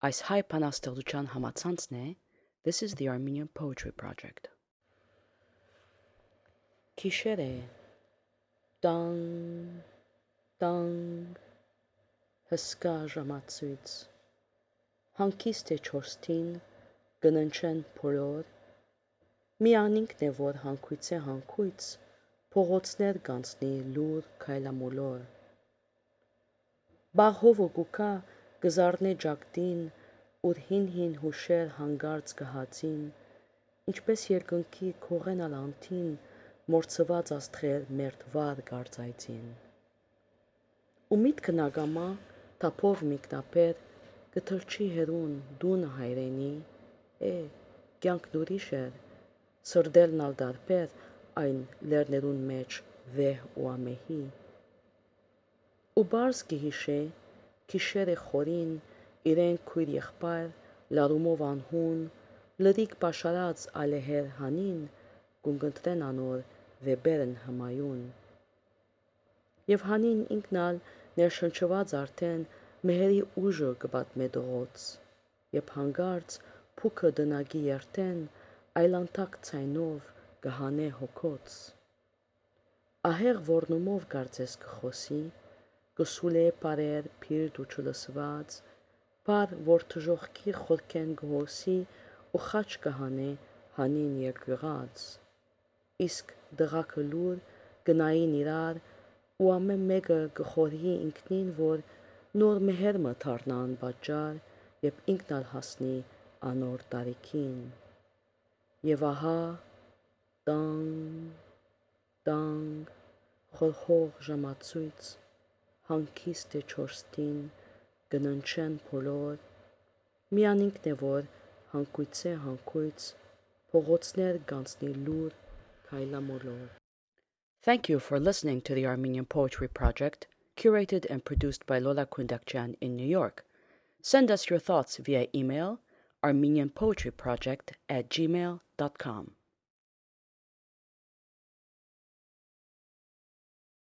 Այս հայ բանաստեղծության համացանցն է This is the Armenian Poetry Project. Գիշեր է, տանգ, տանգ, հսկա ժամացույց, հանգիստ է չորստին, կննչեն բոլոր, մի անինքն է, որ հանգույց է հանգույց, փողոցներ կանցնի լուր քայլամոլոր։ Բաղհովը գուկա գզարնե ջակտին, ուր հին հուշեր հանգարց գհացին, ինչպես երկնքի քողենալ անթին, մորցված աստղեր մերթվար գարձայցին։ Ու միտքը նագամա, թափով միկնապեր, կթրջի հերուն դունը հայրենի, կյանքն ուրիշ էր, սրդելն ալ դարբեր այն լերներուն մեջ վեհ ու ամեհի։ Ու բարձ կհիշե, գիշեր է խորին, իրեն քույր եղբայր, լարումով անհուն, լրիք պաշարած ալեհեր հանին, կունգընտրեն անոր վեբերն հմայուն։ Եվ հանին ինքնալ ներշնչված արդեն մեհերի ուժը կպատմե դողոց, եբ հանգարց փուքը դնագի երթեն, այլանդակ ցայնով կհանե հոգոց։ Ահեղ որնումով կարծես կխոսի, կսուլե բարեր փիրտ ու չլսված, բար որ թժողքի խորքեն գհոսի ու խաչ կհանե հանին երկյուղած, իսկ դղակը լուր գնային իրար ու ամեն մեկը կխորհի ինքնին, որ նոր մեհերմը թարնան պատճառ, երբ ինքն ալ հասնի անոր տարիքին։ Եվ ահա տանգ, տանգ, խորհող ժամացույց, հանգիստ է չորստին, կննչեն բոլոր, մի անինքն է, որ հանգույց է հանգույց, փողոցներ կանցնի լուր քայլամոլոր։ Thank you for listening to the Armenian Poetry Project, curated and produced by Lola Kundakjian in New York. Send us your thoughts via email, armenianpoetryproject@gmail.com.